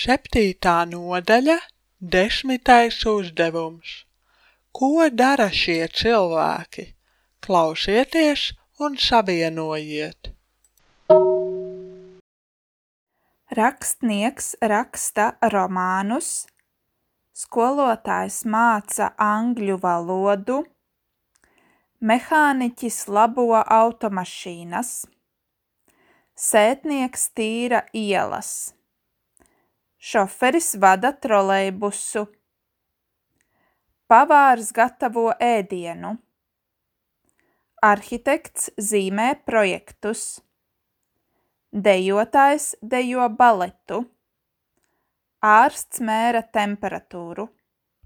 Septītā nodaļa, 10. uzdevums. Ko dara šie cilvēki? Klausieties un savienojiet. Rakstnieks raksta romānus, skolotājs māca angļu valodu, mehāniķis labo automašīnas, sētnieks tīra ielas, šoferis vada trolejbusu, pavārs gatavo ēdienu, arhitekts zīmē projektus, dejotājs dejo baletu, ārsts mēra temperatūru.